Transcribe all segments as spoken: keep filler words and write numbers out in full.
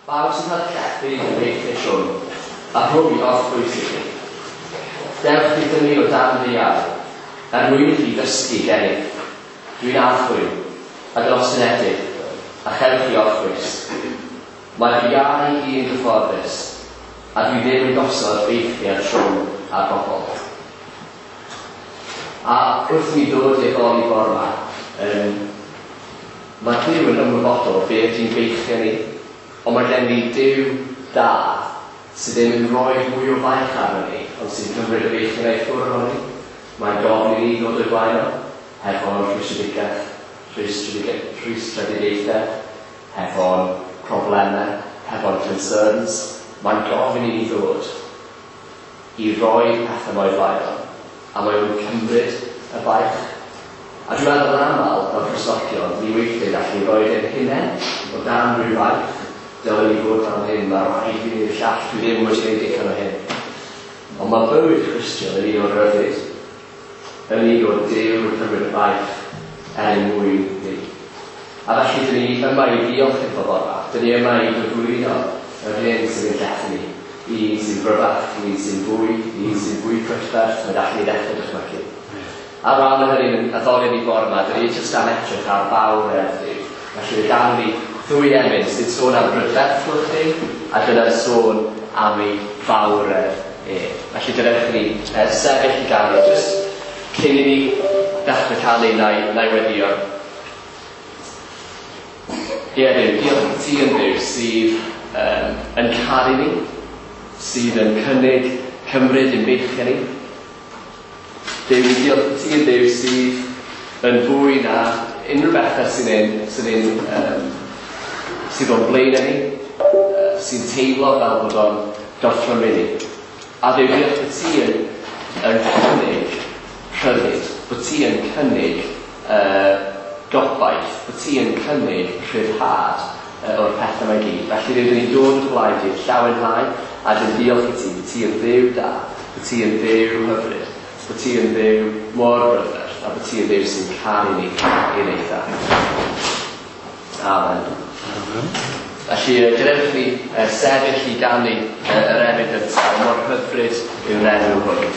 Bawb sy'n cael llethu yn beichio trwm, a rhoi orffwys i chi. Dewch i fyny o dan fy iau, er mwyn i chi ddysgu gennyf. Dwi'n archwil, ac yn ostynedig, a chewch chi orffwys. Mae fy iau i yn gyfforddus, a dwi ddim yn gosod beichiau trwm ar bobl. A wrth i mi ddod i'r addoli bore yma, um, mae Duw yn ymwybodol be ydy'n beichiau ni, ond mae gen ni Duw da sydd ddim yn rhoi mwy o faich arno ni, ond sy'n cymryd y beichiau i ffwrdd ohono ni. Mae'n gofyn i ni ddod o'i blaen o, hefo'n rhwystredigaeth, rhwystredigaethau, hefo'n problemau, hefo'n concerns. Mae'n gofyn i ni ddod i roi pethau 'ma o'i flaen o, a mae o'n cymryd y baich. A dwi'n meddwl yn aml, fel Cristnogion, ni weithiau gallu rhoi ein hunain o dan rhyw faich. Dylen ni fod fel hyn, mae rhaid i fi wneud y llall, dwi ddim wedi gwneud digon o hyn. Ond mae bywyd Cristion yn un o ryddid, yn un o Duw yn cymryd y baich er mwyn ni. A felly, dyn ni yma i ddiolch iddo bore 'ma. Dyn ni yma i gyflwyno yr hyn sydd yn llethu ni. Un sy'n gryfach, un sy'n fwy, un sy'n fwy prydferth, mae gallu ni ddechrau dychmygu. A rhan o hynny yn addoli ni bore yma, dyn ni jyst am edrych ar fawredd Duw. Felly fe gawn ni ddwy emyn sy'n sôn am brydferthwch chi, a dyna'r sôn am ei fawredd e. Felly dylech ni uh, sefyll i ganu, jyst cyn i ni ddechrau canu na i, na i weddio. Ie, Dduw, diolch i ti yn Dduw sydd um, yn caru ni, sydd yn cynnig cymryd ein beichiau ni. Duw, diolch i ti yn Dduw sydd yn fwy na unrhyw bethau sy'n ein, sy'n ein, um, sydd o'n blaenau ni, uh, sy'n teimlo fel bod o'n gorthrymu ni. A Dduw, diolch bod ti yn, yn cynnig rhyddid, bod ti yn cynnig uh, gobaith, bod ti yn cynnig rhyddhad uh, o'r pethau 'ma i gyd. Felly Dduw, dyn ni'n dod o blaen di, llawenhau, a dyn diolch i ti, bod ti yn Dduw da, bod ti yn Dduw hyfryd, bod ti yn Dduw mor brydferth, a bod ti yn Dduw sy'n caru ni i'r eitha. Amen. Amen. Felly, gadewch ni uh, sefyll i ganu uh, yr emyn gyntaf, mor hyfryd yw'r enw hwn.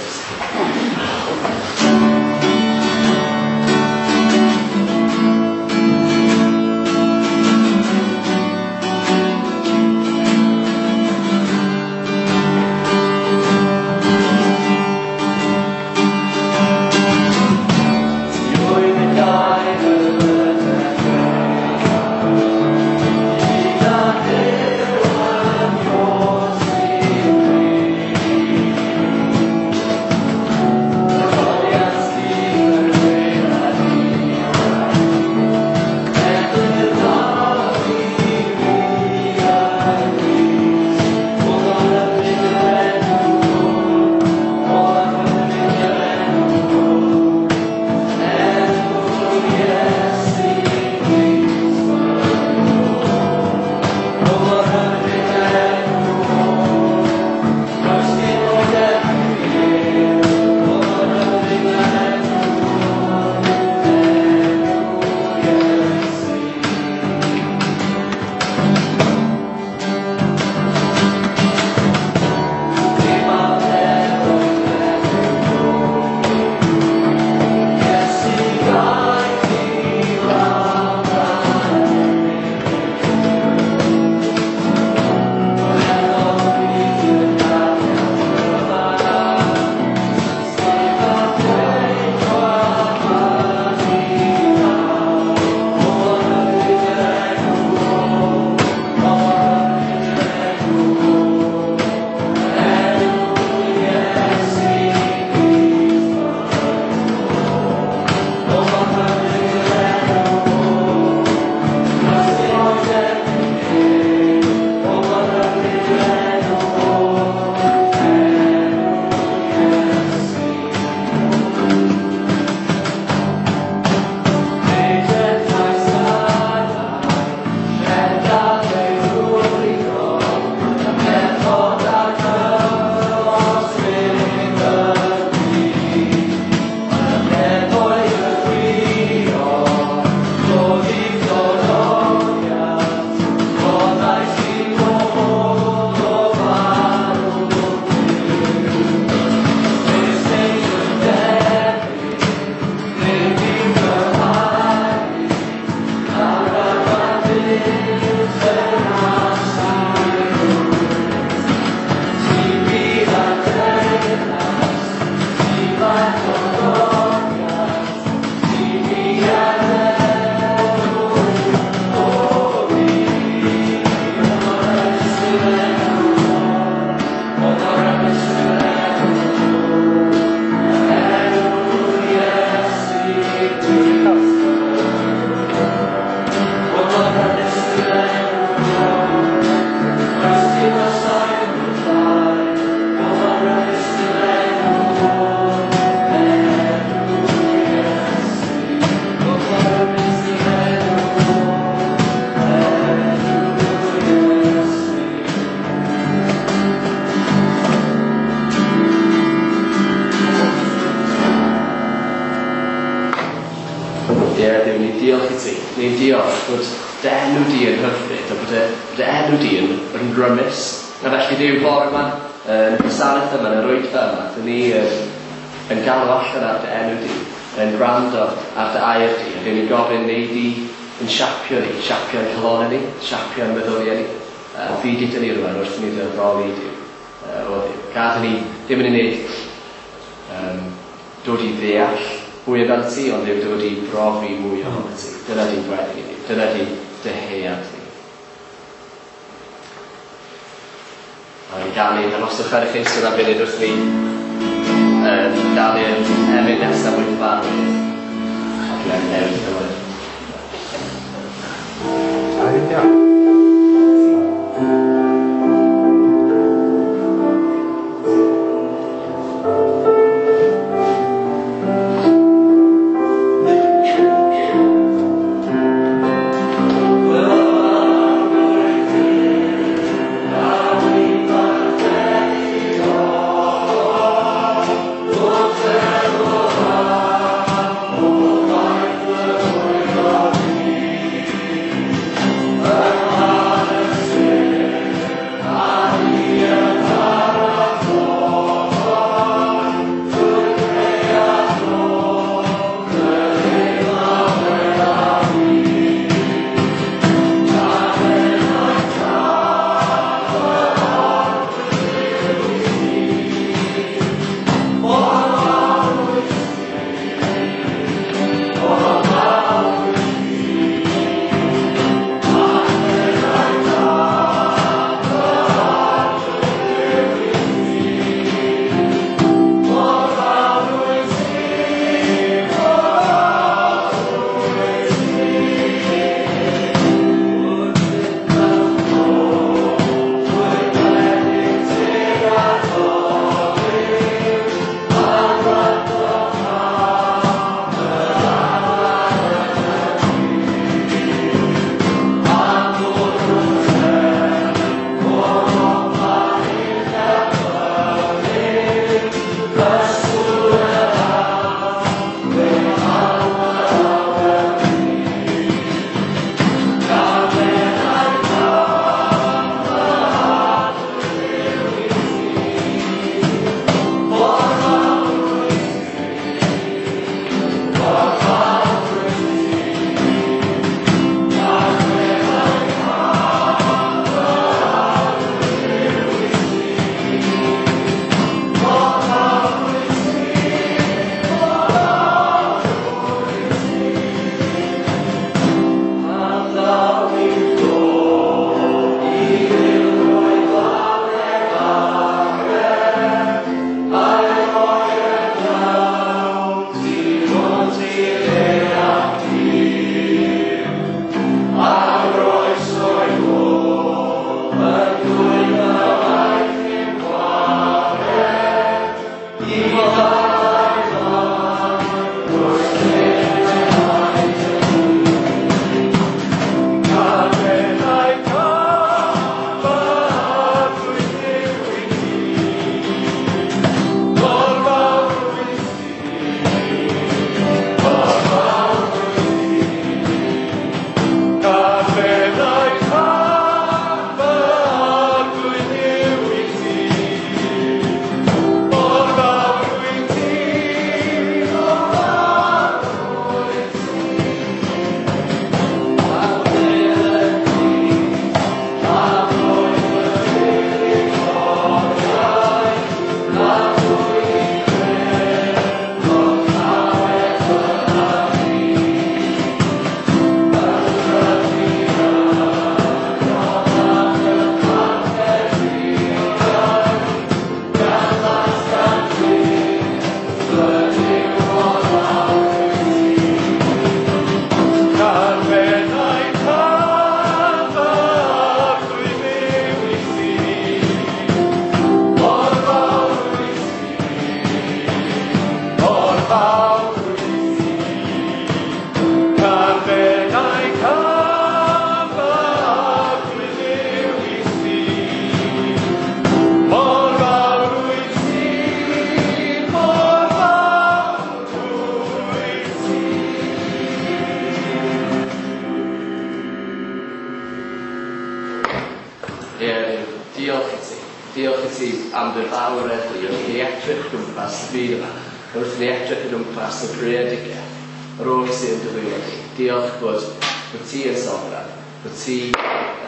diolch bod dy enw di yn hyfryd a bod dy, dy enw di yn, yn rymus. A felly Duw, bore yma, yn y gwasanaeth yma, yn yr oedfa yma, dyn ni yn, yn galw allan ar dy enw di, yn gwrando ar dy air di, a dyn ni'n gofyn neu di yn siapio ni, siapio'n calonau ni, siapio'n meddyliau ni. Uh, Byd i dyn ni rwan wrth i ni dy addoli Duw. Uh, o Dduw. Gad i ni ddim yn unig um, dod i ddeall mwy amdano ti, ond Duw dod i brofi mwy ohono ti. Dyna di'n gweddi ni, dyna di'n dyhead ni. A ni'n ganu, arhoswch ar eich eistedd am funud wrth ni um, ganu'r emyn nesaf mwy cyfarwydd. A dwi'n newid cyfle. Diolch. Oh, Ie, diolch i ti. Diolch i ti am dy fawredd di wrth i ni edrych o gwmpas y byd yma. Wrth i ni edrych o gwmpas y greadigaeth, yr oll sydd yn dy ddwylo di. Diolch bod, bod ti yn sofran, bod ti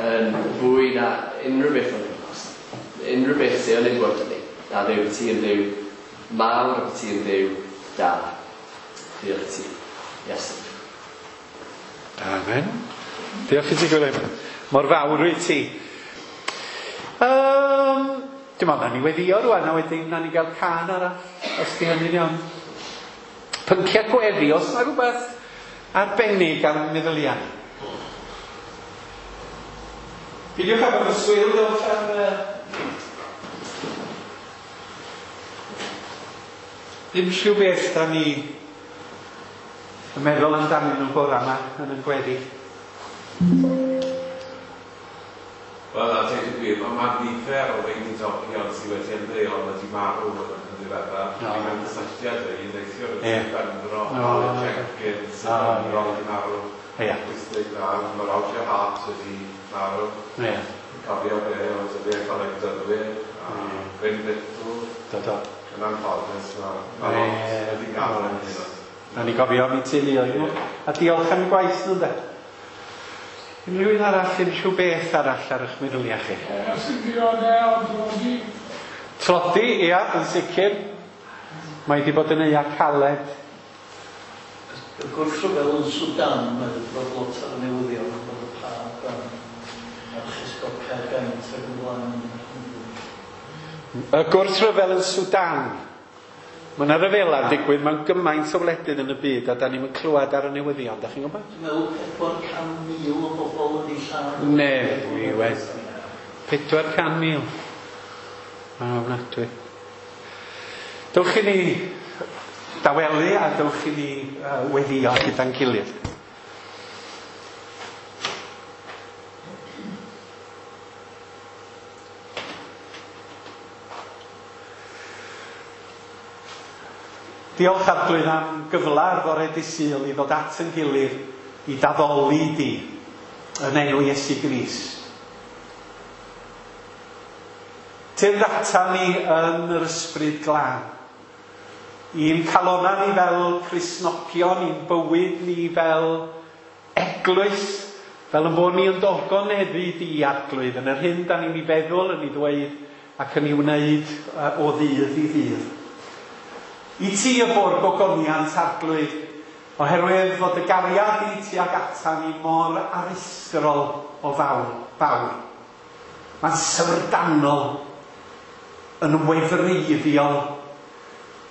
yn fwy na unrhyw beth o'n gwmpas. Unrhyw beth sydd yn ein bywyd ni. Na Dduw, bod ti yn Dduw mawr a bod ti yn Dduw da. Diolch i ti, Iesu. Amen. Diolch i ti, Gwilym. Mor fawr wyt ti. Um, dwi'n meddwl, na ni weddio rwan, a wedyn na ni gael cân arall, os di hynny'n iawn. Pynciau gweddi, os yna rhywbeth arbennig ar meddyliau. Peidiwch â bod yn swil dewch ar... Ddim rhyw beth da ni yn meddwl amdanyn nhw bore yma yn y gweddi. Wel, a dweud y gwir, mae ma nifer o weinidogion sydd wedi ymddeol wedi marw yn yn ddiweddar. No. Ni mewn cysylltiad â un neithiwr yn Sir Benfro, Colin Jenkins, Sir Benfro wedi marw. wyth deg naw, mae Roger Hart wedi marw. Ie. Cofio fe, oedd wedi Coleg Dynwyr, a Bryn Little. Do, do. Yn anffodus, mae ma lot wedi gadael yn hyn. Na ni gofio am eu teuluoedd nhw. A diolch am eu gwaith nhw, de. Unrhyw un arall, unrhyw beth arall ar eich meddyliau chi? Ie, sy'n dioddef o tlodi. Tlodi, ia, yn sicr. Mae wedi bod yn eia caled. Y gwrthryfel yn Sudan, mae wedi bod lot ar y newyddion, bod y Pab a'r Archesgob Caergaint ac yn blaen. Y gwrthryfel yn Sudan. Mae yna ryfela'n digwydd mewn gymaint o wledydd yn y byd a da ni'm yn clywed ar y newyddion, da chi'n gwybod? Dwi'n meddwl pedwar can mil o bobl wedi lladd. Ne, mi wed. pedwar can mil. Mae'n ofnadwy. Dewch i ni dawelu a dewch i ni uh, weddio gyda'n gilydd. Diolch Arglwydd am gyfle ar fore dydd Sul i ddod at yn gilydd i daddoli di yn enw Iesu Grist. Tyrd ata ni yn yr ysbryd glân. I'n calona ni fel Cristnogion, i'n bywyd ni fel eglwys, fel yn bod ni yn dogoneddu di Arglwydd yn yr hyn da ni'n ei feddwl, yn ei ddweud ac yn ei wneud o ddydd i ddydd. I ti y bo'r gogoniant Arglwydd, oherwydd fod y gariad i ti ag ata ni mor aruthrol o fawr, fawr. Mae'n syfrdanol, yn wefreiddiol,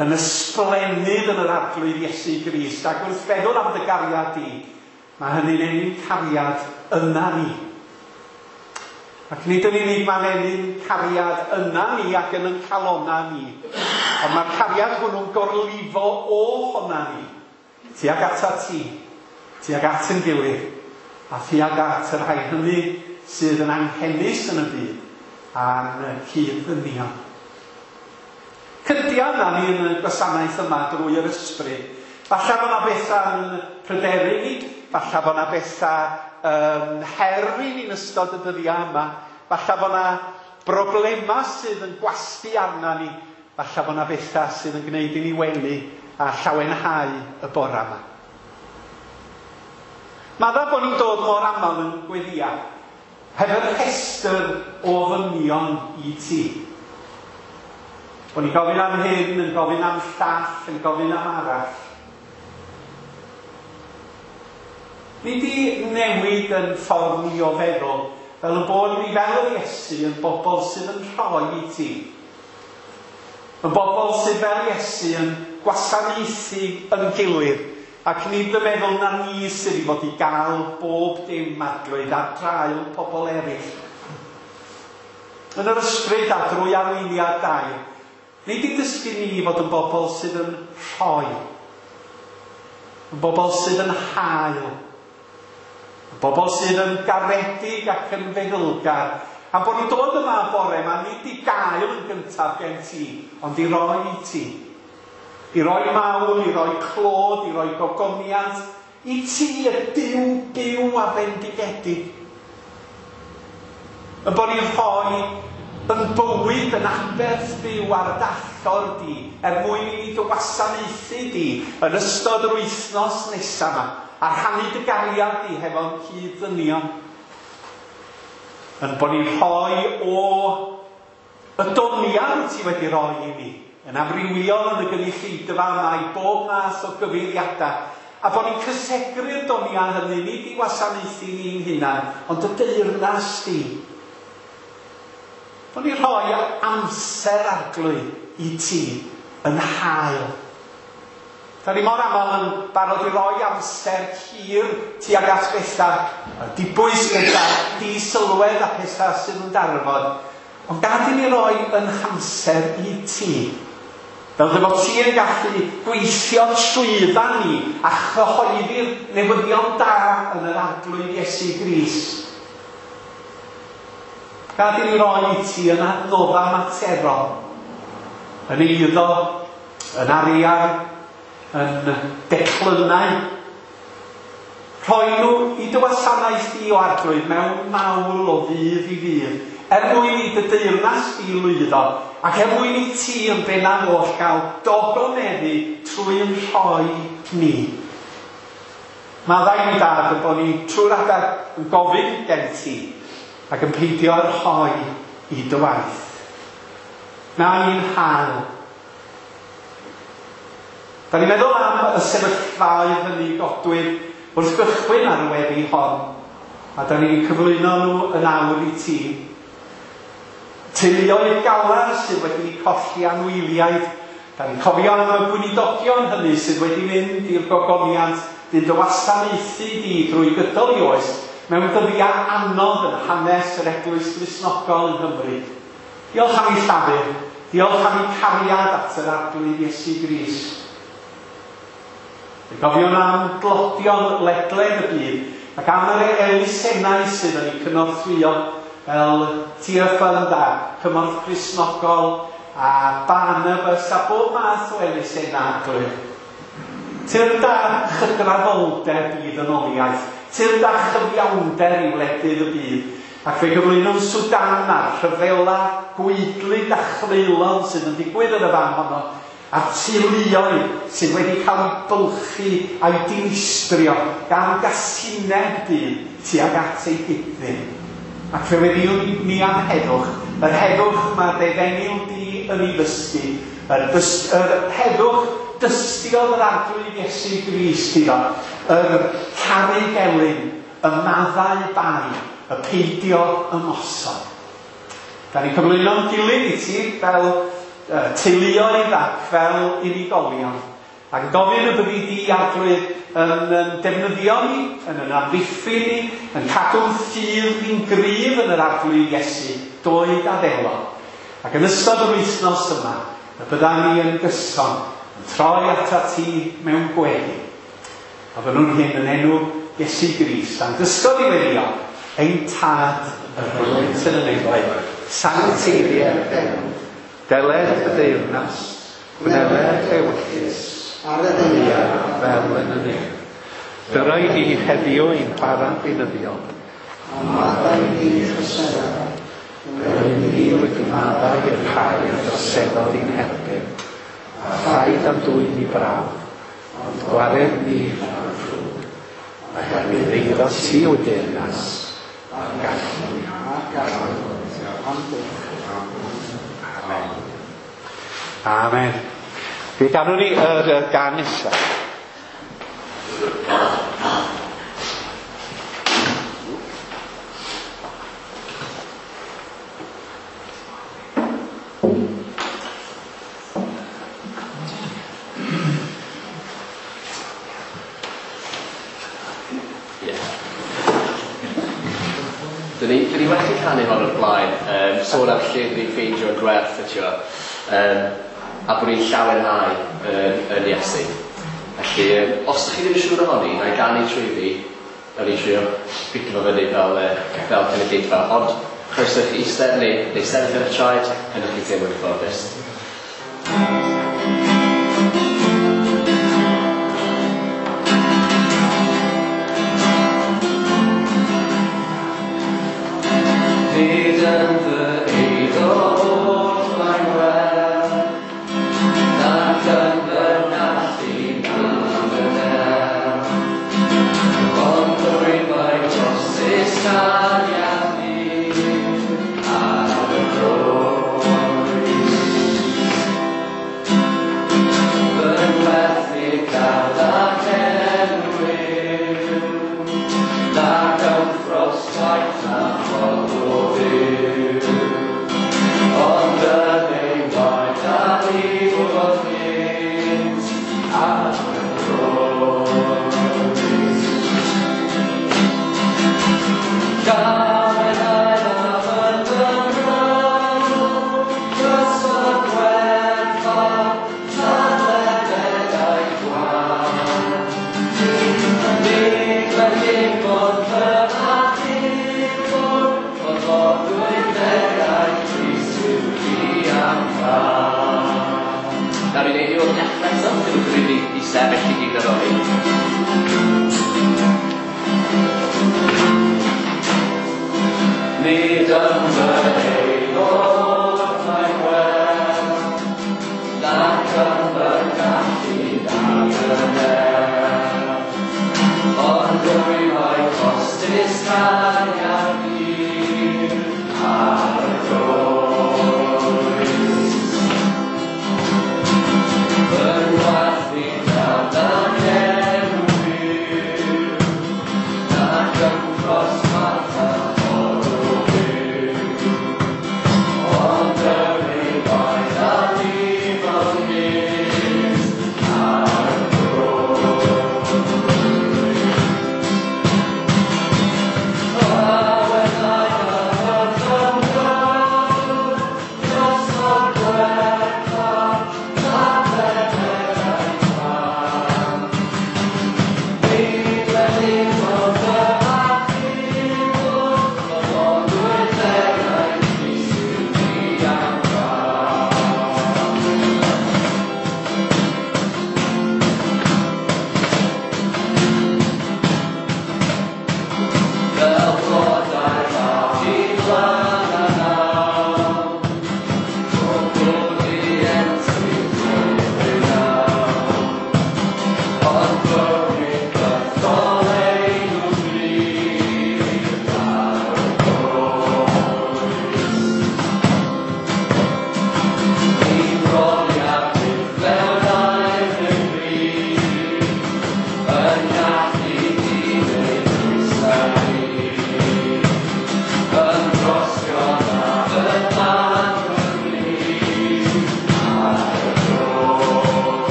yn ysblennydd yn yr Arglwydd Iesu Grist, ac wrth feddwl am dy gariad di, mae hynny'n ennyn cariad yna ni. Ac nid yn unig mae'n ennyn cariad yna ni ac yn yn calona ni, ond mae'r cariad hwnnw'n gorlifo o honna ni, tuag ata ti, tuag at yn gilydd, a tuag at y rhai hynny sydd yn anghenus yn y byd a'n cyd-ddynion. Cydia yna ni yn y gwasanaeth yma drwy yr ysbryd. Falle bod yna bethau'n pryderu ni, falle bod yna bethau um, her i ni'n ystod y dyddiau yma, falle bod yna broblemau sydd yn gwasgu arna ni, falle bod yna bethau sydd yn gwneud i ni wenu a llawenhau y bore yma. Madda bod ni'n dod mor aml yn gweddia, heb yr rhestr o ofynion i ti. Bod ni'n gofyn am hyn, yn gofyn am llall, yn gofyn am arall. Ni di newid yn ffordd ni o feddwl, fel y bod ni fel yr Iesu yn bobl sydd yn rhoi i ti. Yn bobl sydd fel Iesu yn gwasanaethu yn gilydd, ac nid yn meddwl na ni sydd i fod i gael bob dim Arglwydd ar draul pobl eraill. Yn yr ysbryd a drwy arweiniad dau, nid i dysgu ni fod yn bobl sydd yn rhoi, yn bobl sydd yn hael, yn bobl sydd yn garedig ac yn feddylgar. A bod ni'n dod yma bore yma, nid i gael yn gyntaf gen ti, ond i roi i ti. I roi mawl, i roi clod, i roi gogoniant, i ti y Duw byw a fendigedig. Yn bod ni'n rhoi yn bywyd yn aberth byw ar dallor di, er mwyn i ni dy wasanaethu di yn ystod yr wythnos nesaf yma, a rhannu dy gariad di hefo'n cyd-ddynion. Yn bod ni'n rhoi o y doniau ti wedi rhoi i ni, yn amrywiol yn y gynulleidfa yma i bob math o gyfeiriadau, a bod ni'n cysegru'r doniau hynny, nid i wasanaethu ni'n hunan, ond y deyrnas di. Bod ni'n rhoi amser Arglwydd i ti yn hael. Da ni mor aml yn barod i roi amser hir tuag at bethau, dibwys bethau, disylwedd a pethau sydd yn darfod. Ond gad i ni roi yn hamser i ti. Fel dy fod ti yn gallu gweithio trwydda ni a chyhoeddi'r newyddion da yn yr Arglwydd Iesu Grist. Gad i ni roi i ti yn adnoddau materol, yn eiddo, yn arian, yn declynau. Rhoi nhw i dy wasanaeth di o Arglwydd mewn mawl o ddydd i ddydd, er mwyn i dy deyrnas di lwyddo, ac er mwyn i ti yn bennaf oll gael dogoneddu trwy'n rhoi ni. Maddau ni Dad yn bod ni trwy'r adeg yn gofyn gen ti, ac yn peidio â rhoi i dy waith. Na ni'n hael. Da ni'n meddwl am y sefyllfaoedd hynny godwyd wrth gychwyn ar y weddi hon, a da ni'n cyflwyno nhw yn awr i ti. Teuluoedd galar sydd wedi colli anwyliaid, da ni'n cofio am y gweinidogion hynny sydd wedi mynd i'r gogoniant, dyn dy wasanaethu di drwy gydol i oes, mewn dyddiau anodd yn hanes yr Eglwys Gristnogol yng Nghymru. Diolch am ei llafur, diolch am ei cariad at yr Arglwydd Iesu Grist. Gofiwn am glodion ledled y byd ac am yr elusennau sydd yn eu cynorthwyo fel Tear Fund a Cymorth Cristnogol a Barnabas a bob math o elusennau Arglwydd. Tyrd â chydraddoldeb i ddynoliaeth, tyrd â chyfiawnder i wledydd y byd, ac fe gyflwynwn Sudan a'r rhyfela gwaedlyd a chreulon sydd yn digwydd yn y fan honno, a'r teuluoedd sydd wedi cael eu bylchu a'u dinistrio gan gasineb dyn tuag at ei gyd-ddyn. Ac fe weddïwn ni am heddwch, yr heddwch mae dy efengyl di yn ei ddysgu, yr, dys, yr heddwch dystiodd yr Arglwydd Iesu Grist iddo, yr caru gelyn, y maddau bai, y peidio ymosod. Da ni'n cyflwyno'n gilydd i ti fel teuluoedd ac fel unigolion, ac yn gofyn y byddi di Arglwydd yn, yn defnyddio ni, yn yn amddiffyn ni, yn cadw'n ffydd ni'n gryf yn yr Arglwydd Iesu, doed a ddelo. Ac yn ystod yr wythnos yma, y bydda ni yn gyson, yn troi atat ti mewn gweddi. A fynnwn hyn yn enw Iesu Grist, a'n dysgodd i weddio, ein Tad yr wyt yn y nefoedd, sancteiddier d'enw, deled y deyrnas, gwneler ewyllys, ar y ddaear fel yn y nef. Dyro i ni heddiw ein bara beunyddiol, a maddau ni troseddau, fel y ni wedi maddau i'r rhai a droseddodd i'n herbyn, a phaid am dwyn i brawf, ond gwared ni rhag y ddrwg, oherwydd eiddo ti yw deyrnas, a'r gallu a'r gallu, am byth. Amen. Amen. Fe ganwn ni yr uh, gan nesaf. Dyn ni, dyn ni wedi canu hon o'r blaen, um, sôn am lle dyn ni'n ffeindio'n gwerth, ytio, um, a bod ni'n llawenhau yn, yn Iesu. Felly, um, os ydych chi ddim yn siŵr ohoni, na i ganu trwy fi, na i trio pigo fo fyny fel, uh, fel cynulleidfa, ond croeso i chi eistedd neu, neu sefyll ar y traed, yn ydych chi'n teimlo'n gyfforddus. Nid sefyll i gyd ar ôl. Nid yn fy aelod mae gwell, nac yn fy gallu nag yn nerth, ond rwy mae costus cariad hir ar y groes. Fy ngwaith i dan enw byw, nac yn cross martha.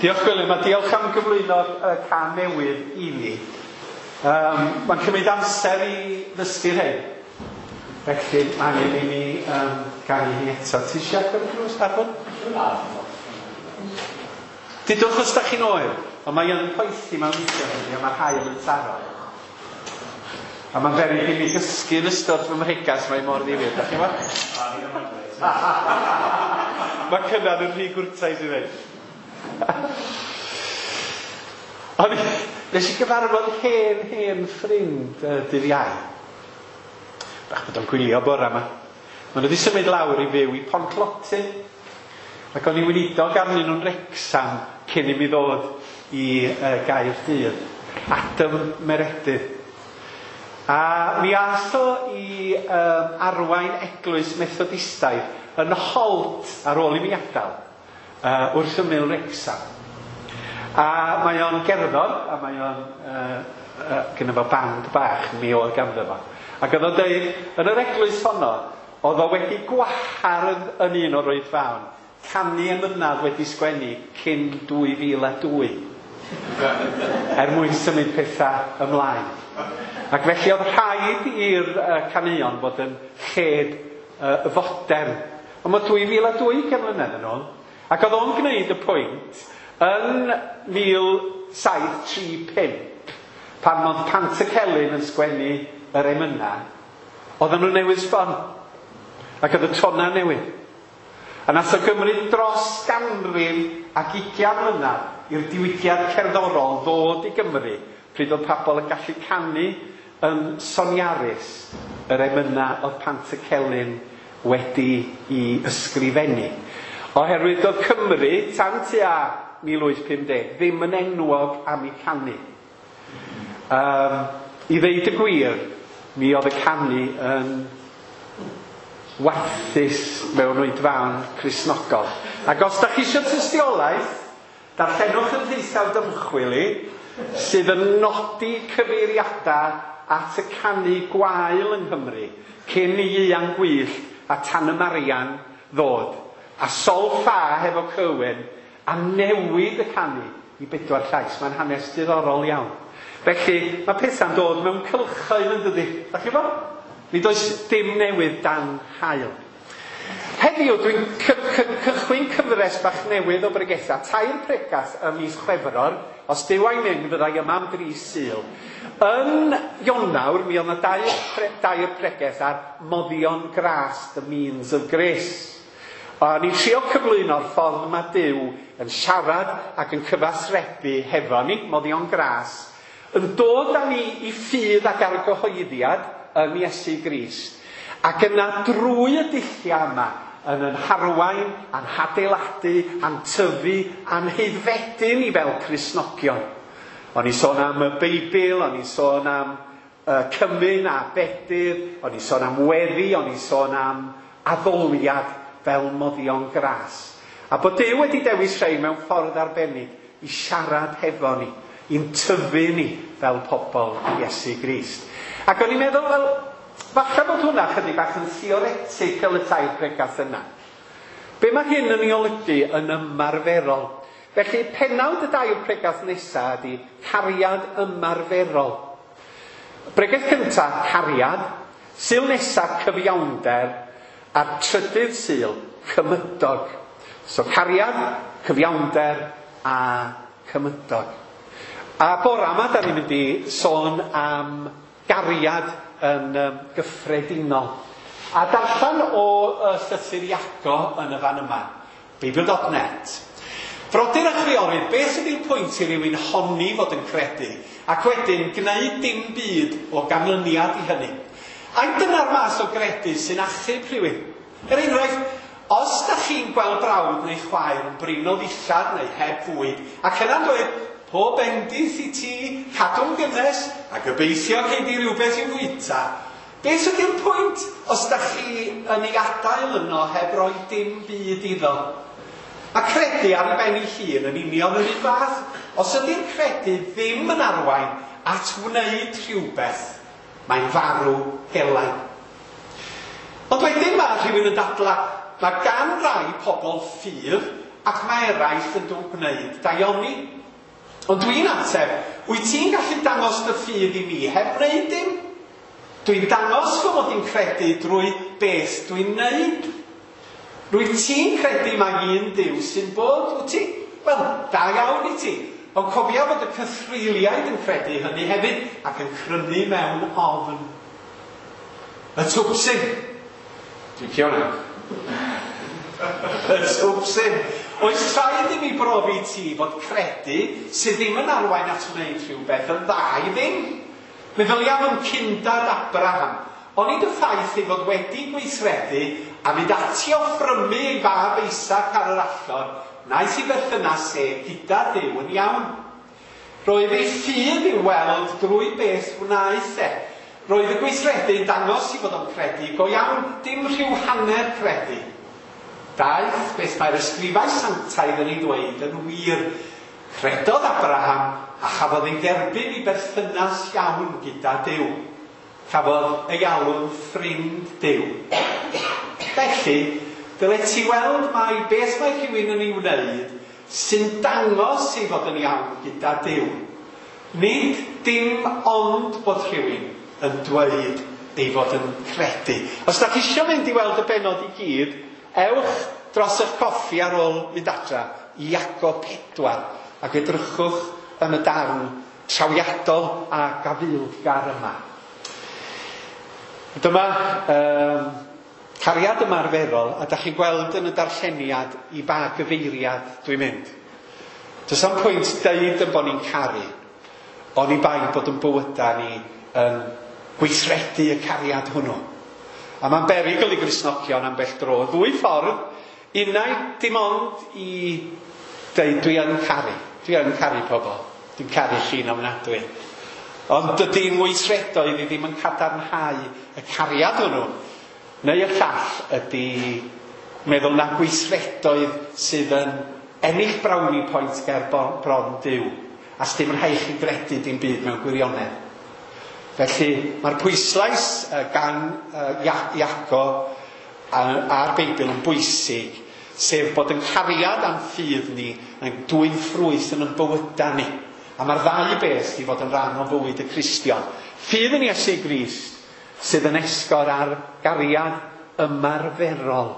Diolch Gwilym, a diolch am gyflwyno'r uh, can newydd i ni. Um, mae'n cymryd amser i ddysgu'r hyn. Felly mae angen i ni um, ganu hi eto. Ti eisiau agor y drws, Arfon? Dudwch os da chi'n oer, ond mae yn poethi mewn weithiau heddiw, a mae'r haul yn taro. A mae'n beryg i mi gysgu yn ystod fy mhregas, mae mor ddifyr. Da chi'n gwybod? Mae Cynan yn rhy gwrtais i ddweud. Ond nes i gyfarfod hen, hen ffrind uh, dydd Iau. Bach bod o'n gwylio bora yma. Maen nhw wedi symud lawr i fyw i Pontlottyn. Ac o'n i weinidog arnyn nhw'n Wrecsam cyn i mi ddod i uh, Gaerdydd. Adam Meredydd. A mi ath o i um, arwain eglwys Methodistaidd yn Holt ar ôl i mi adael. Uh, wrth ymyl Wrecsam. A mae o'n gerddor, a mae o'n uh, uh, gyda fo band bach, mi oedd ganddo fo. Ac oedd o'n deud, yn yr eglwys honno, oedd o wedi gwahardd yn un o'r oedfaon, canu emynau wedi sgwennu cyn dwy fil a dwy. Er mwyn symud pethau ymlaen. Ac felly oedd rhaid i'r uh, caneuon fod yn lled uh, fodern. Ond mae dwy fil a dwy ugain mlynedd yn ôl. Ac oedd o'n gwneud y pwynt yn mil saith tri pump, pan oedd Pantycelyn yn sgwennu yr emynau, oedden nhw newydd sbon. Ac oedd y tona newydd. A nath o gymryd dros ganrif ac ugain mlynedd i'r diwygiad cerddorol ddod i Gymru, pryd oedd pobl yn gallu canu yn soniarus yr emynau oedd Pantycelyn wedi i ysgrifennu. Oherwydd oedd Cymru, tan tua mil wyth pum deg, ddim yn enwog am ei canu. Um, I ddeud y gwir, mi oedd y canu yn warthus mewn oedfaon Cristnogol. Ac os da chi eisiau tystiolaeth, darllenwch yn Rheithawd Ymchwil i, sydd yn nodi cyfeiriadau at y canu gwael yng Nghymru, cyn i Ieuan Gwyllt a Tan y Marian ddod, a Sol Ffa hefo Cywyn, a newid y canu i bedwar llais. Mae'n hanes diddorol iawn. Felly, mae pethau'n dod mewn cylchoedd yn dydi. Da chi fo? Nid oes dim newydd dan haul. Heddiw dwi'n cychwyn cyfres bach newydd o bregethau, tair pregath ym mis Chwefror, os Duw a'i mynd fyddai yma am dri Sul. Yn Ionawr, mi oedd yna dair, pre, dair pregeth ar moddion gras, the means of grace. A ni'n trio cyflwyno'r ffordd mae Duw yn siarad ac yn cyfathrebu hefo ni, moddion gras, yn dod â ni i ffydd ac argyhoeddiad yn Iesu Grist. Ac yna drwy y dulliau yma, yn yn harwain, a'n hadeiladu, a'n tyfu, a'n heiddfedu ni fel Cristnogion. O'n i sôn am y Beibl, o'n i sôn am uh, cymun a bedydd, o'n i sôn am weddi, o'n i sôn am addoliad fel moddion gras. A bod Duw wedi dewis rhai mewn ffordd arbennig i siarad hefo ni, i'n tyfu ni fel pobl Iesu Grist. Ac o'n i'n meddwl, wel, falle bod hwnna chydig bach yn theoretical y tair pregath yna. Be mae hyn yn ei olygu yn ymarferol? Felly, penawd y dair pregath nesaf ydy cariad ymarferol. Bregath cyntaf, cariad. Sul nesaf, cyfiawnder. A'r trydydd sul, cymydog. So, cariad, cyfiawnder a cymydog. A bora yma, da ni'n mynd i sôn am gariad yn um, gyffredinol. A darllen o uh, llythyr Iago yn y fan yma, Beibl dot net. Frodyr a chwiorydd, beth ydy'r pwynt i rywun honni fod yn credu, ac wedyn gwneud dim byd o ganlyniad i hynny? Ai dyna'r math o gredu sy'n achub rhywun? Er enghraifft, os da chi'n gweld brawd neu chwaer yn brin o ddillad neu heb fwyd, ac yna'n dweud, pob bendith i ti, cadw'n gynnes, a gobeithio cei di rhywbeth i'w fwyta. Beth ydy'r pwynt os da chi yn ei adael yno heb roi dim byd iddo? Mae credu ar ei ben ei hun yn union yr un fath. Os ydy'r credu ddim yn arwain at wneud rhywbeth, mae'n farw gelain. Ond wedyn mae rhywun yn dadla, mae gan rai pobl ffydd ac mae eraill yn dod gwneud daioni. Ond dwi'n ateb, wyt ti'n gallu dangos dy ffydd i mi heb wneud dim? Dwi'n dangos fy mod i'n credu drwy beth dwi'n wneud. Rwyt ti'n credu mai un Duw sy'n bod, wyt ti? Wel, da iawn i ti. Ond cofia fod y cythreuliaid yn credu hynny hefyd ac yn crynu mewn ofn. Y twpsyn. Dwi'n cio hwnna. Y twpsyn. Oes rhaid i mi brofi ti fod credu sydd ddim yn arwain at wneud rhywbeth yn dda i ddim? Meddylia am cyndad Abraham. Onid y ffaith ei fod wedi gweithredu a mynd ati offrymu ei fab Isaac ar yr allor, wnaeth ei berthynas e gyda Duw yn iawn. Roedd ei ffydd i'w weld drwy beth wnaeth e. Roedd y gweithredu yn dangos i fod o'n credu go iawn, dim rhyw hanner credu. Daeth beth mae'r ysgrifau sanctaidd yn ei ddweud yn wir. Credodd Abraham A chafodd ei dderbyn i berthynas iawn gyda Duw. Cafodd ei alw'n ffrind Duw. Felly, dyle ti weld mai beth mae rhywun yn ei wneud sy'n dangos ei fod yn iawn gyda Duw. Nid dim ond bod rhywun yn dweud ei fod yn credu. Os da chi eisiau mynd i weld y bennod i gyd, ewch dros eich coffi ar ôl mynd adra i Iago pedwar ac edrychwch yn y darn trawiadol a gafaelgar yma. Dyma um, cariad ymarferol, a da chi'n gweld yn y darlleniad i ba gyfeiriad dwi'n mynd. Does am pwynt deud yn bod ni'n caru, oni bai bod yn bywydau ni yn gweithredu y cariad hwnnw. A mae'n berygl i Gristnogion ambell dro. Ddwy ffordd, unai dim ond i deud dwi yn caru. Dwi yn caru pobl. Dwi'n caru chi'n ofnadwy. Ond dydy'n weithredoedd i ddim yn cadarnhau y cariad hwnnw. Neu y llall ydy meddwl na gweithredoedd sydd yn ennill brownie point ger bron Duw. A sdim rhaid chi gredu dim byd mewn gwirionedd. Felly mae'r pwyslais gan Iago a'r Beibl yn bwysig, sef bod yn cariad a'n ffydd ni yn dwyn ffrwyth yn ein bywydau ni. A mae'r ddau beth i fod yn rhan o fywyd y Cristion. Ffydd yn Iesu Grist sydd yn esgor ar gariad ymarferol,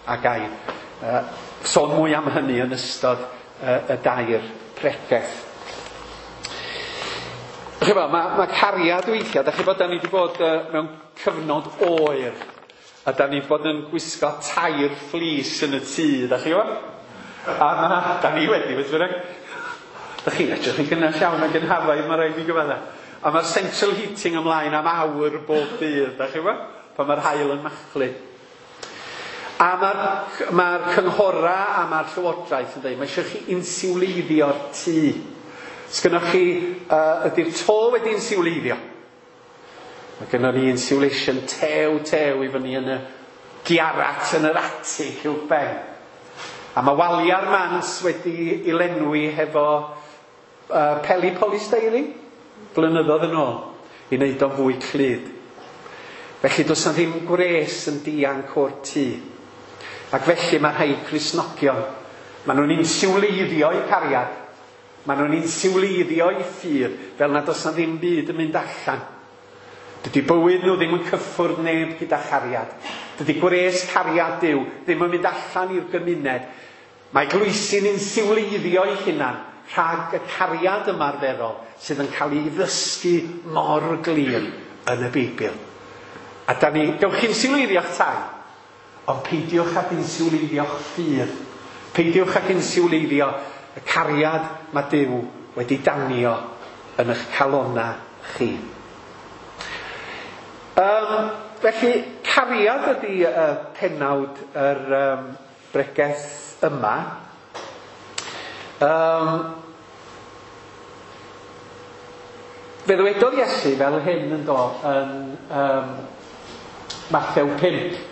a gair. Uh, sôn mwy am hynny yn ystod uh, y dair pregeth. Chyba, mae, mae cariad weithiau, da chi bod, da ni wedi bod uh, mewn cyfnod oer, a da ni wedi bod yn gwisgo tair fflis yn y tŷ, da chi bod? A ma, da ni wedi, beth bynnag. Da chi'n edrych yn gynnes iawn ac yn hafaidd, mae rhaid i gyfadda. A mae'r central heating ymlaen am awr bob dydd, da chi bod? Pan mae'r haul yn machlud. A mae'r mae cynghora a mae'r llywodraeth yn dweud, mae eisiau chi insiwleiddio'r tŷ. Sgynnoch chi, uh, ydy'r to wedi insiwleiddio? Mae gynnon ni insulation tew tew i fyny yn y giarat yn yr atig uwchben. A mae waliau'r mans wedi ei lenwi hefo uh, peli polystyrene blynyddoedd yn ôl i wneud o'n fwy clyd. Felly does na ddim gwres yn dianc o'r tŷ. Ac felly mae rhai Cristnogion, maen nhw'n insiwleiddio eu cariad, maen nhw'n insiwleiddio eu ffydd, fel nad oes na ddim byd yn mynd allan. Dydy bywyd nhw ddim yn cyffwrdd neb gyda chariad. Dydy gwres cariad Duw ddim yn mynd allan i'r gymuned. Mae eglwysi'n insiwleiddio eu hunan rhag y cariad ymarferol sydd yn cael ei ddysgu mor glir yn y Beibl. A da ni, gewch chi insiwleiddio'ch tai, ond peidiwch ag insiwleiddio'ch ffydd. Peidiwch ag insiwleiddio y cariad mae Duw wedi danio yn eich calonna chi. Um, felly, cariad ydy uh, penawd yr um, bregeth yma. Um, fe ddywedodd Iesu fel hyn yn do yn um, Mathew pump.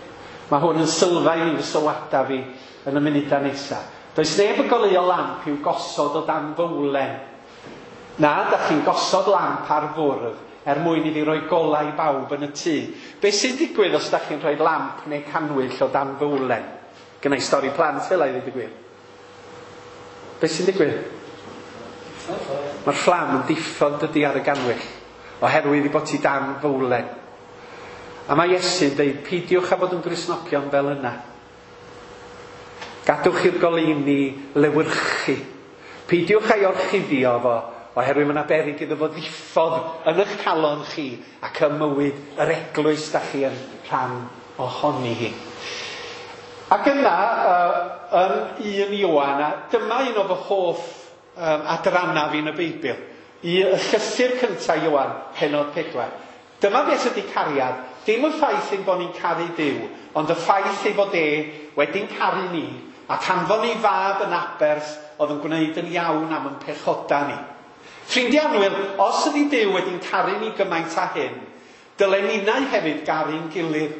Mae hwn yn sylfaen i fy sylwadau fi yn y munudau nesaf. Does neb yn goleuo lamp i'w gosod o dan fowlen. Na, da chi'n gosod lamp ar fwrdd er mwyn iddi roi golau i bawb yn y tŷ. Be sy'n digwydd os da chi'n rhoi lamp neu canwyll o dan fowlen? Gynna i stori plant fel ei ddweud y gwir. Be sy'n digwydd? Mae'r fflam yn diffodd dydy ar y ganwyll, oherwydd i bod ti dan fowlen. A mae Iesu'n dweud, peidiwch â bod yn Gristnogion fel yna. Gadwch i'r goleuni lewyrchu. Peidiwch â'i orchuddio fo, oherwydd mae yna beryg iddo fo ddiffodd yn eich calon chi ac ym mywyd yr eglwys da chi yn rhan ohoni hi. Ac yna, uh, yn un Ioan, a dyma un o fy hoff um, adrannau fi yn y Beibl, i y llythyr cyntaf Ioan, pennod pedwar. Dyma beth ydy cariad, dim y ffaith ein bod ni'n caru Duw, ond y ffaith ei fod e wedi'n caru ni, ac anfon ei fab yn aberth oedd yn gwneud yn iawn am yn pechoda ni. Ffrindiau annwyl, os ydy Duw wedi'n caru ni gymaint â hyn, dylen ninnau hefyd garu'n gilydd.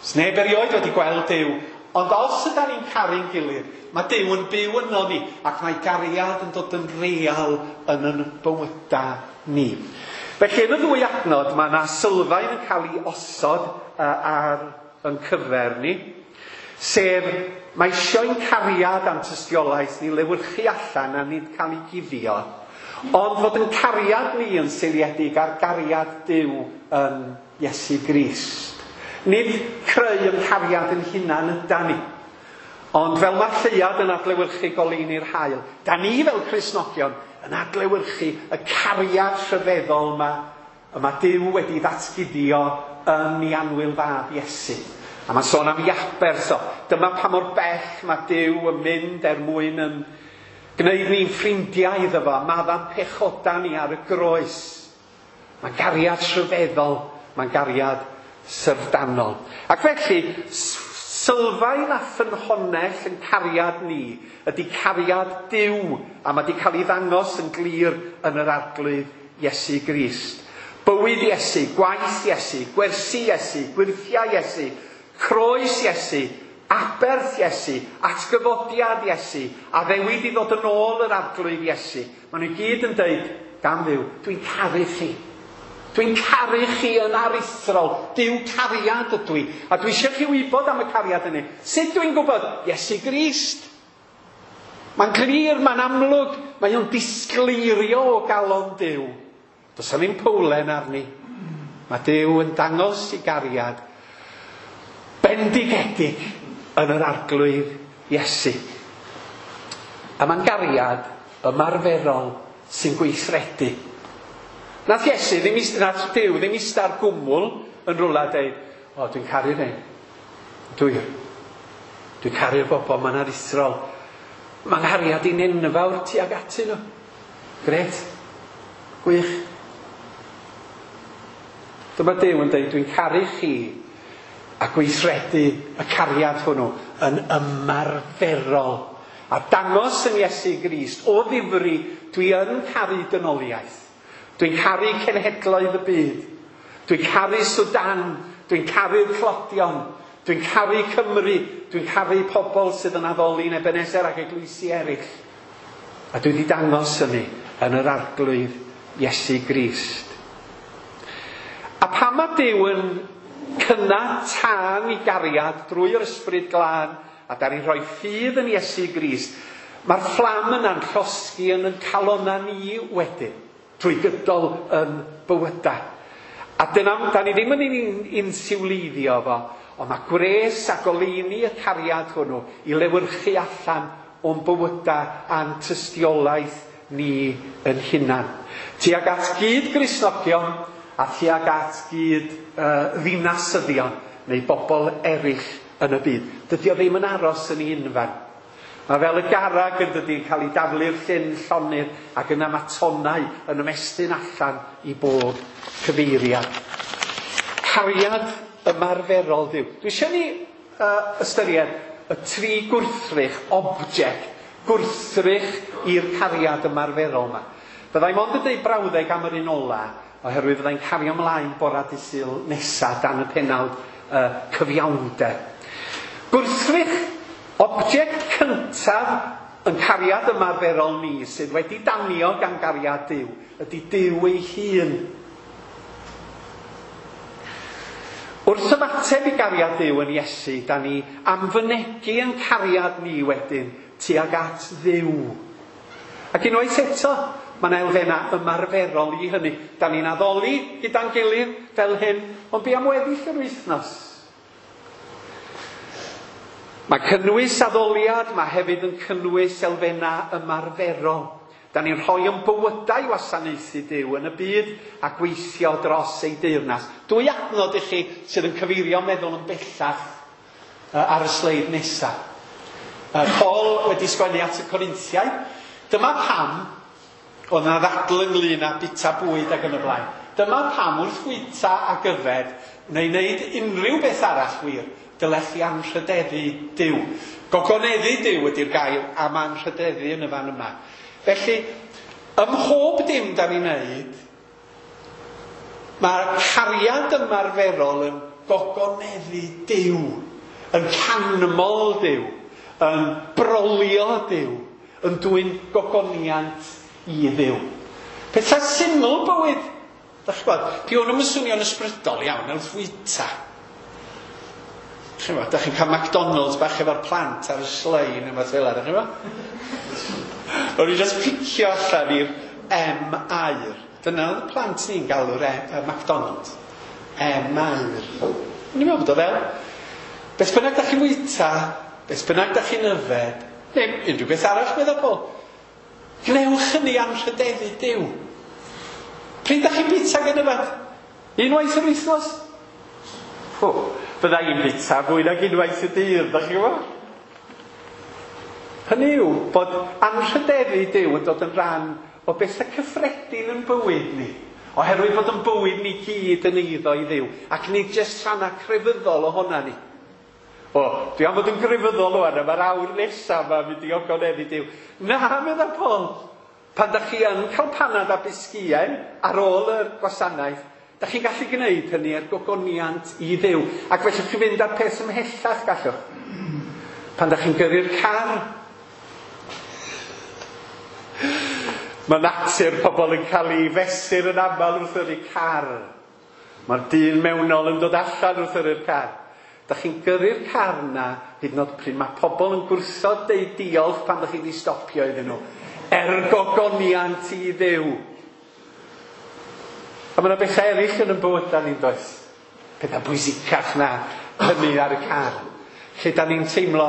Sneb erioed wedi gweld Duw, Ond os ydan ni'n caru'n gilydd, mae Duw yn byw yno ni, ac mae gariad yn dod yn real yn yn bywyda ni. Felly yn y ddwy adnod, mae yna sylfaen yn cael ei osod uh, ar yn cyfer ni, sef mae eisiau'n cariad a'n tystiolaeth ni lewyrchu allan a nid cael ei guddio, ond fod yn cariad ni yn seiliedig ar gariad Duw yn Iesu Grist. Nid creu yn cariad yn hunan ydan ni, ond fel mae'r lleuad yn adlewyrchu goleuni'r haul, da ni fel Cristnogion yn adlewyrchu y cariad rhyfeddol yma y mae Duw wedi ddatguddio yn ei annwyl fab Iesu. A mae'n sôn am ei aberth o. Dyma pa mor bell mae Duw yn mynd er mwyn yn gwneud ni'n ffrindiau iddo fo, maddau'n pechoda ni ar y groes. Mae'n gariad rhyfeddol, mae'n gariad syfrdanol. Ac felly, sylfaen a ffynhonnell yn cariad ni ydy cariad Duw, a mae wedi cael ei ddangos yn glir yn yr Arglwydd Iesu Grist. Bywyd Iesu, gwaith Iesu, gwersi Iesu, gwyrthiau Iesu, croes Iesu, aberth Iesu, atgyfodiad Iesu, addewid i ddod yn ôl yr Arglwydd Iesu. Maen nhw gyd yn dweud, gan Dduw, dwi'n caru chi. Dwi'n caru chi yn aruthrol. Duw cariad ydw i. A dwi eisiau chi wybod am y cariad hynny. Sut dwi'n gwybod? Iesu Grist. Mae'n glir, mae'n amlwg, mae o'n disgleirio o galon Duw. Does 'na ddim powlen arni. Mae Duw yn dangos i gariad bendigedig yn yr Arglwydd Iesu. A mae'n gariad ymarferol sy'n gweithredu. Nath Iesu ddim, nath Duw ddim ista ar gwmwl yn rhywle a deud, o, dwi'n caru rhain. Dwi. Dwi'n caru'r bobl, mae'n aruthrol. Mae'n nghariad i'n enfawr tuag atyn nhw. Gret. Gwych. Dyma Duw yn deud, dwi'n caru chi a gweithredu y cariad hwnnw yn ymarferol. A dangos yn Iesu Grist, o ddifri, dwi yn caru dynoliaeth. Dwi'n caru cenhedloedd y byd. Dwi'n caru Sudan. Dwi'n caru'r tlodion. Dwi'n caru Cymru. Dwi'n caru pobl sydd yn addoli'n Ebenezer ac eglwysi eraill. A dwi wedi dangos hynny yn yr Arglwydd Iesu Grist. A pan mae Duw yn cynna tân i gariad drwy'r Ysbryd Glân, a da ni'n rhoi ffydd yn Iesu Grist, mae'r fflam yna'n llosgi yn yn calonna ni wedyn, drwy gydol yn bywydau. A dyna, da ni ddim yn insiwleiddio fo, ond mae gwres a goleuni y cariad hwnnw i lewyrchu allan o'n bywydau a'n tystiolaeth ni yn hunan. Tuag at gyd Gristnogion a tuag at gyd uh, ddinasyddion neu bobl eraill yn y byd. Dydy o ddim yn aros yn ei unfan. Mae fel y garag yn dydy yn cael ei daflu'r llyn llonydd ac yna mae tonnau yn ymestyn allan i bob cyfeiriad. Cariad ymarferol Dduw. Dwi eisiau ni uh, ystyried y tri gwrthrych, object, gwrthrych i'r cariad ymarferol yma. Byddai mond yn dweud brawddeg am yr un ola, oherwydd fyddai'n cario ymlaen bora dydd Sul nesa dan y penawd uh, cyfiawnder. Gwrthrych, object cyntaf yn cariad ymarferol ni sydd wedi danio gan gariad Duw, ydy Duw ei hun. Wrth ymateb i gariad Duw yn Iesu, da ni am fynegi yn cariad ni wedyn tuag at Dduw. Ac unwaith eto, mae yna elfennau ymarferol i hynny. Da ni'n addoli gyda'n gilydd fel hyn, ond be am weddill yr wythnos? Mae cynnwys addoliad, mae hefyd yn cynnwys elfennau ymarferol. Da ni'n rhoi yn bywydau wasanaethu Duw yn y byd a gweithio dros ei deyrnas. Dwy adnod i chi sydd yn cyfeirio meddwl yn bellach ar y sleid nesaf. Paul wedi sgwennu at y Corinthiaid. Dyma pam oedd yna ddadl ynglyn â bita bwyd ac yn y blaen. Dyma pam wrth fwyta ac yfed, neu wneud unrhyw beth arall wir, dylech chi anrhydeddu Duw. Gogoneddu Duw ydy'r gair am anrhydeddu yn y fan yma. Felly, ym mhob dim da ni'n neud, mae'r cariad ymarferol yn gogoneddu Duw. Yn canmol Duw, yn brolio Duw, yn dwyn gogoniant i Dduw. Pethau syml bywyd. Dach chi'n gwybod, di hwn yn swnio'n ysbrydol iawn wrth fwyta. Chi'n gwybod, dach chi'n cael McDonald's bach efo'r plant ar y slein neu beth fel 'na, dach chi'n gwybod? O'n i just picio allan i'r M air. Dyna oedd y plant ni'n galw'r e, McDonald's. M air. O'n i'n meddwl bod o fel. Beth bynnag dach chi'n fwyta, beth bynnag dach chi'n yfed, neu unrhyw beth arall, meddwl Paul. Gwnewch hynny anrhydeddu Duw. Pryd dach chi'n bwyta gan yfed? Unwaith yr wythnos? O, fydda i'n bwyta fwy nag unwaith y dydd, dach chi'n gwybod? Hynny yw bod anrhydeddu Duw yn dod yn rhan o bethau cyffredin yn bywyd ni. Oherwydd bod yn bywyd ni gyd yn eiddo i Dduw. Ac nid jyst rhannau crefyddol ohona ni. O, dwi am fod yn grefyddol rwan, a mae'r awr nesaf yma mynd i ogoneddu Duw. Na, medda Paul. Pan dach chi yn cael panad a bisgiau ar ôl y gwasanaeth, dach chi'n gallu gwneud hynny er gogoniant i Dduw. Ac felly chi fynd â'r peth ymhellach, gallwch. Pan dach chi'n gyrru'r car, mae natur pobl yn cael ei fesur yn aml wrth yrru car. Mae'r dyn mewnol yn dod allan wrth yrru'r car. Dach chi'n gyrru'r car na, hyd yn oed pryd mae pobl yn gwrthod deud diolch pan dach chi wedi stopio iddyn nhw. Er gogoniant i Dduw. A mae yna bethau eraill yn y bywydau ni'n does. Pethau bwysicach na hynny ar y car. Lle da ni'n teimlo,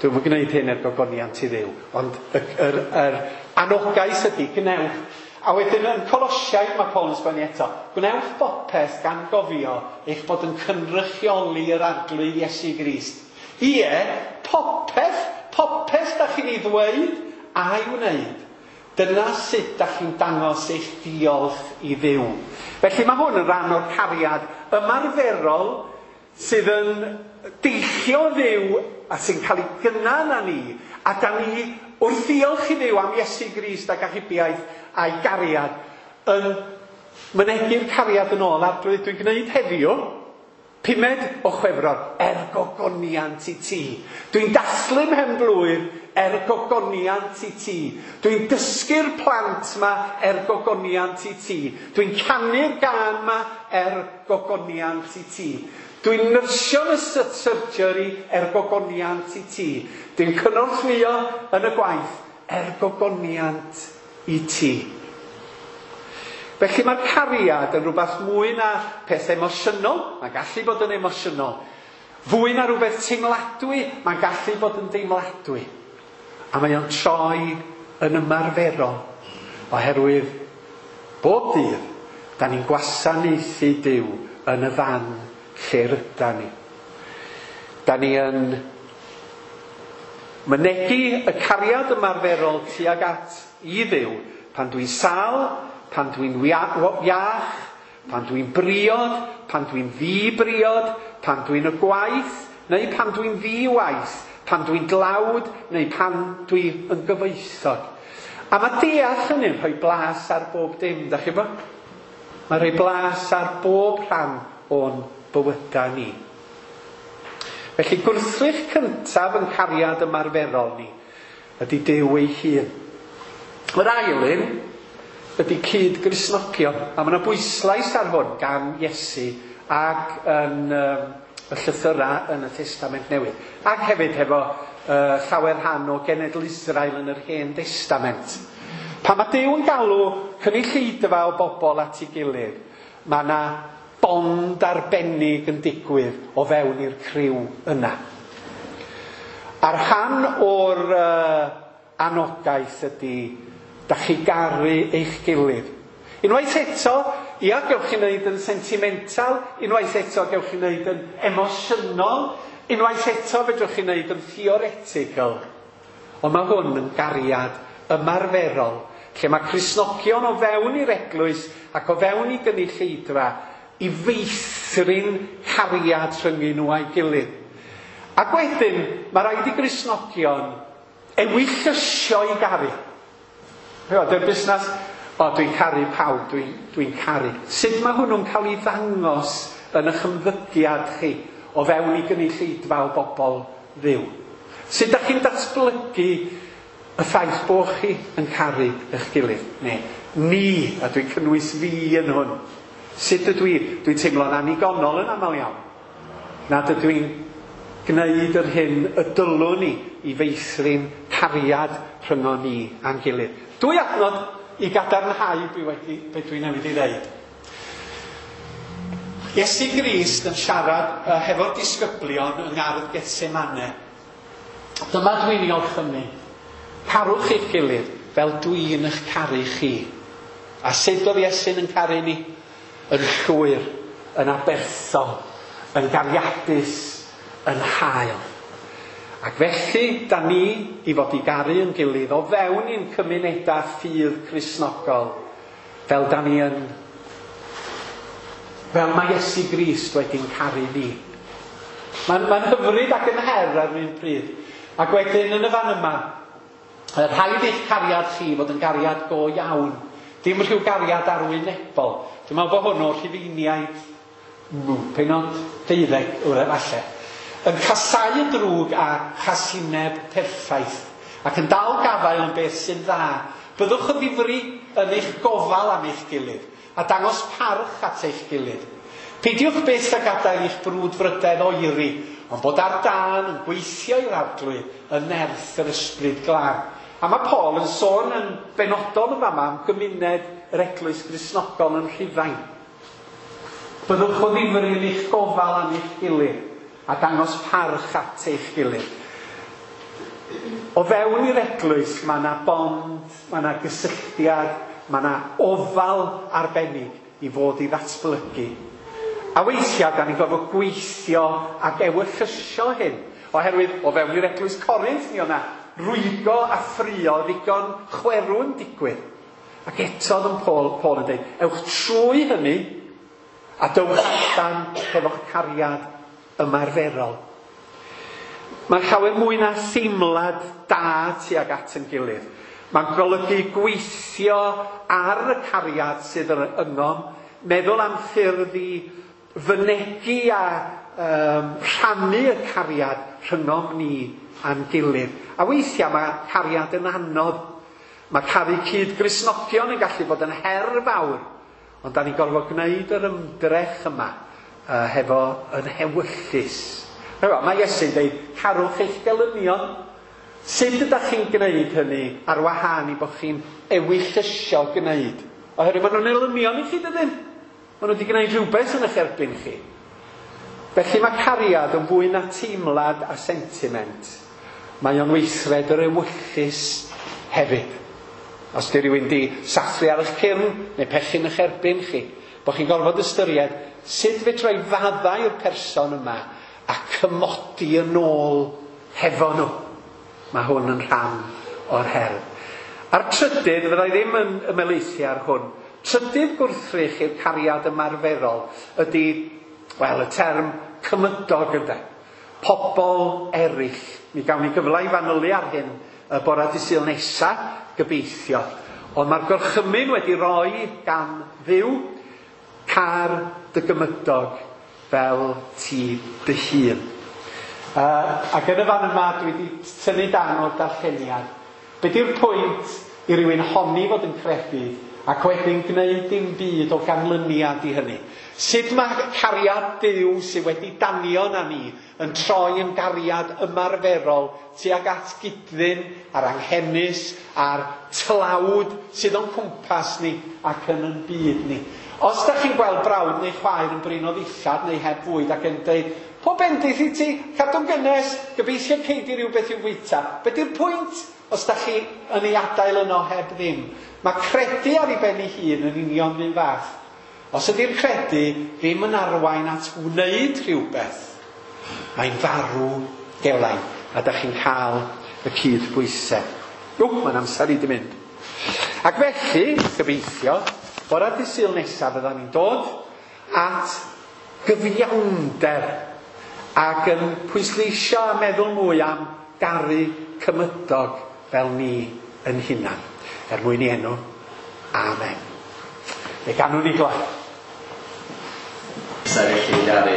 dwi'm yn gwneud hyn er gogoniant i Dduw, ond yr, yr, yr anogaeth ydy gwnewch. A wedyn yn Colosiaid mae Paul yn sgwennu eto, gwnewch bopeth gan gofio eich bod yn cynrychioli yr Arglwydd Iesu Grist. Ie, popeth, popeth da chi'n ei ddweud a'i wneud. Dyna sut da chi'n dangos eich diolch i Dduw. Felly mae hwn yn rhan o'r cariad ymarferol sydd yn deillio Dduw a sy'n cael ei gynnau na ni, a da ni wrth ddiolch i Dduw am Iesu Grist ac achubiaeth a'i gariad yn mynegi'r cariad yn ôl. Arglwydd, dwi'n gwneud heddiw, pumed o Chwefror, er gogoniant i ti. Dwi'n dathlu mhen blwydd er gogoniant i ti. Dwi'n dysgu'r plant ma er gogoniant i ti. Dwi'n canu'r gân ma er gogoniant i ti. Dwi'n nyrsio yn y surgery er gogoniant i ti. Dwi'n cynorthwyo yn y gwaith er gogoniant i ti. Felly mae'r cariad yn rhywbeth mwy na peth emosiynol. Mae'n gallu bod yn emosiynol. Fwy na rhywbeth teimladwy. Mae'n gallu bod yn deimladwy. A mae o'n troi yn ymarferol. Oherwydd bob dydd, da ni'n gwasanaethu Duw yn y fan lle rydan ni. Da ni yn mynegi y cariad ymarferol tuag at i Dduw pan dwi'n sâl, pan dwi'n iach, pan dwi'n briod, pan dwi'n ddi-briod, pan dwi'n y gwaith, neu pan dwi'n ddi-waith, pan dwi'n dlawd, neu pan dwi'n yn gyfoethog. A mae deall hynny'n rhoi blas ar bob dim, da chi bo? Mae'n rhoi blas ar bob rhan o'n bywydau ni. Felly gwrthrych cyntaf yn cariad ymarferol ni ydy Duw ei hun. Yr ail un ydy cyd-Gristnogion. A mae yna bwyslais ar hwn gan Iesu ac yn um, y llythyrau yn y Testament Newydd. Ac hefyd hefo uh, llawer rhan o genedl Israel yn yr Hen Testament. Pan mae Duw yn galw cynulleidfa o bobl at ei gilydd, mae yna bond arbennig yn digwydd o fewn i'r criw yna. A'r rhan o'r uh, anogaeth ydy da chi garu eich gilydd. Unwaith eto, ia, gewch chi wneud yn sentimental, unwaith eto gewch chi wneud yn emosiynol, unwaith eto fedrwch chi wneud yn theoretical. Ond mae hwn yn gariad ymarferol, lle mae Cristnogion o fewn i'r eglwys ac o fewn i gynulleidfa i feithrin cariad rhyngyn nhw a'i gilydd. Ac wedyn, mae rhaid i Gristnogion ewyllysio i garu. Dy'r busnes, o, dwi'n caru pawb, dwi'n dwi caru. Sut mae hwnnw'n cael ei ddangos yn eich ymddygiad chi o fewn i gynulleidfa o bobl Dduw? Sut ydych chi'n datblygu y ffaith bod chi yn caru eich gilydd? Neu, ni, a dwi'n cynnwys fi yn hwn. Sut ydw i? Dwi'n teimlo'n annigonol yn aml iawn. Nad ydw i'n gwneud yr hyn y dylwn ni i feithrin cariad rhyngon ni a'n gilydd. Dwy adnod i gadarnhau be wedi, be dwi'n newydd i ddeud. Iesu Grist yn siarad uh, hefo'r disgyblion yng ngardd Gethsemane. Dyma dwi'n ei orchymyn. Carwch eich gilydd fel dwi'n eich caru chi. A sut oedd Iesu'n yn caru ni? Yn llwyr, yn aberthol, yn gariadus, yn hael. Ac felly, da ni i fod i garu yn gilydd o fewn i'n cymunedau ffydd Cristnogol, fel da ni yn, fel mae Iesu Grist wedi'n caru ni. Mae'n ma hyfryd ac yn her ar un pryd. Ac wedyn yn y fan yma, rhaid eich cariad chi fod yn gariad go iawn. Dim rhyw gariad arwynebol. Dwi'n meddwl bod hwn o'r Rhufeiniaid, pennod deuddeg, falle. Yn casáu y drwg a chasineb perffaith, ac yn dal gafael yn beth sy'n dda. Byddwch yn ddifri yn eich gofal am eich gilydd, a dangos parch at eich gilydd. Peidiwch byth â gadael eich brwdfrydedd oeri, ond bod ar dân yn gweithio i'r Arglwydd yn nerth yr Ysbryd Glân. A mae Paul yn sôn yn benodol yn fama am gymuned yr Eglwys Gristnogol yn Rhufain. Byddwch o ddifri yn eich gofal am eich gilydd, a dangos parch at eich gilydd. O fewn i'r eglwys mae yna bond, mae yna gysylltiad, mae yna ofal arbennig i fod i ddatblygu. A weithiau, da ni'n gorfod gweithio ac ewyllysio hyn. Oherwydd, o fewn i'r eglwys Corinth, mi o'na rwygo a ffrio ddigon chwerw'n digwydd. Ac eto oedd yn Paul, Paul yn dweud, ewch trwy hynny a dowch allan hefo'ch cariad ymarferol. Mae llawer mwy na theimlad da tuag at yn gilydd. Mae'n golygu gweithio ar y cariad sydd yn yngom, meddwl am ffyrdd i fynegi a um, rhannu y cariad rhyngom ni a'n gilydd. A weithiau mae cariad yn anodd. Mae caru cyd-Gristnogion yn gallu bod yn her fawr, ond da ni'n gorfod gwneud yr ymdrech yma uh, hefo yn hewyllys. Mae Iesu'n dweud, carwch eich gelynion. Sut ydych chi'n gwneud hynny ar wahân i bod chi'n ewyllysio gwneud? Oherwydd maen nhw'n elynion i chi, dydyn? Maen nhw wedi gwneud rhywbeth yn eich erbyn chi. Felly mae cariad yn fwy na teimlad a sentiment. Mae o'n weithred yr ewyllys hefyd. Os di rhywun di sathru ar eich cyrn neu pechu'n eich erbyn chi, bod chi'n gorfod ystyried sut fedra i faddau i'r person yma a cymodi yn ôl hefo nhw. Mae hwn yn rhan o'r her. A'r trydydd, fyddai ddim yn ymhelaethu ar hwn, trydydd gwrthrych i'r cariad ymarferol ydy, wel, y term cymydog ynde. Pobl eraill. Mi gawn ni gyfle i fanylu ar hyn y bore dydd Sul nesa, gobeithio. Ond mae'r gorchymyn wedi roi gan Dduw, car dy gymydog fel ti dy hun. Uh, ac yn y fan yma dwi wedi tynnu dan o'r darlleniad. Be di'r pwynt i rywun honni fod yn credu ac wedyn gwneud dim byd o ganlyniad i hynny? Sut mae cariad Duw sydd wedi danio na ni yn troi yn gariad ymarferol tuag at gydddyn a'r anghenus a'r tlawd sydd o'n cwmpas ni ac yn yn byd ni? Os da chi'n gweld brawd neu chwaer yn brin o ddillad neu heb fwyd ac yn dweud, pob bendith i ti, cadw'n gynnes, gobeithio cei di rhywbeth i'w fwyta. Be di'r pwynt os da chi yn ei adael yno heb ddim? Mae credu ar ei ben ei hun yn union un fath. Os ydy'r credu ddim yn arwain at wneud rhywbeth, mae'n farw gelain, a da chi'n cael y cydbwysedd. Ww, mae'n amser i di mynd. Ac felly, gobeithio, bore dydd Sul nesaf fyddan ni'n dod at gyfiawnder ac yn pwysleisio a meddwl mwy am garu cymydog fel ni yn hunan. Er mwyn i enw, amen. Fe ganwn ni gloi. Sefyll i garu.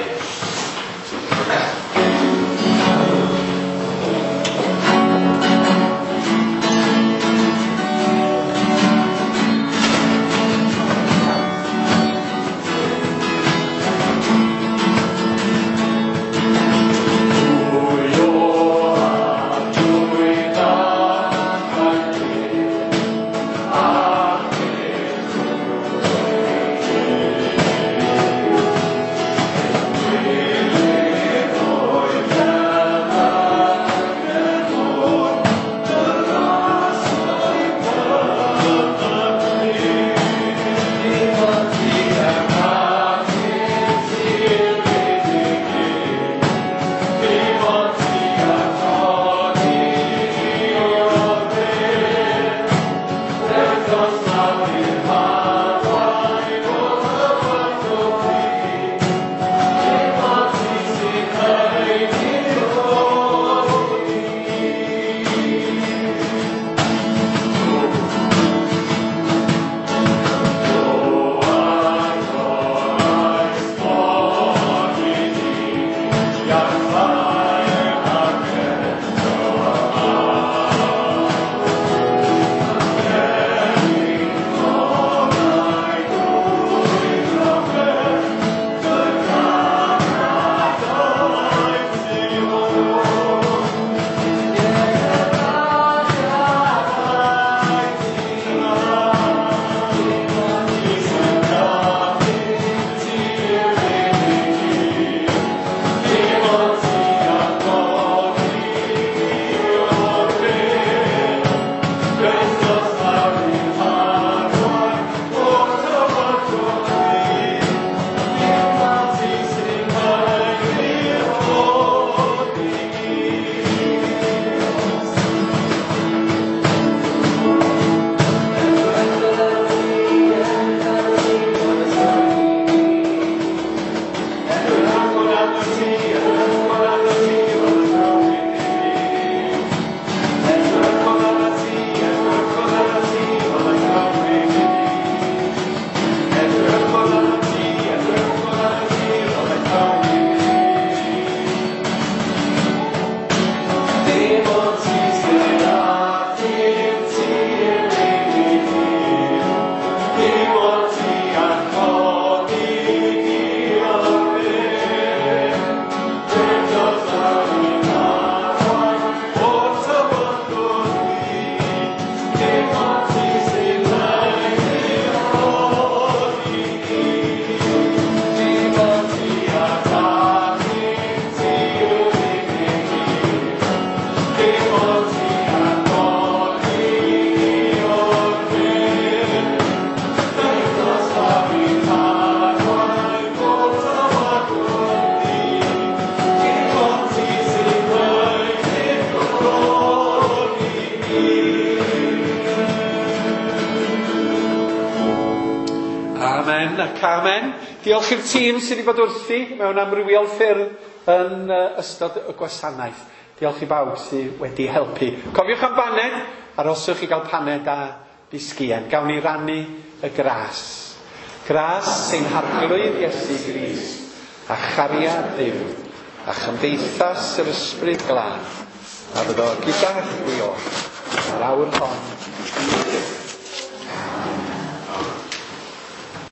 Amen. Diolch i'r tîm sydd wedi bod wrthi mewn amrywiol ffyrdd yn ystod y gwasanaeth. Diolch i bawb sydd wedi helpu. Cofiwch am baned, aroswch i gael paned a bisgïen. Gawn ni rannu y gras. Gras ein Harglwydd Iesu Grist, a chariad Duw, a chymdeithas yr Ysbryd Glân, a fyddo gyda chwi oll, yr awr hon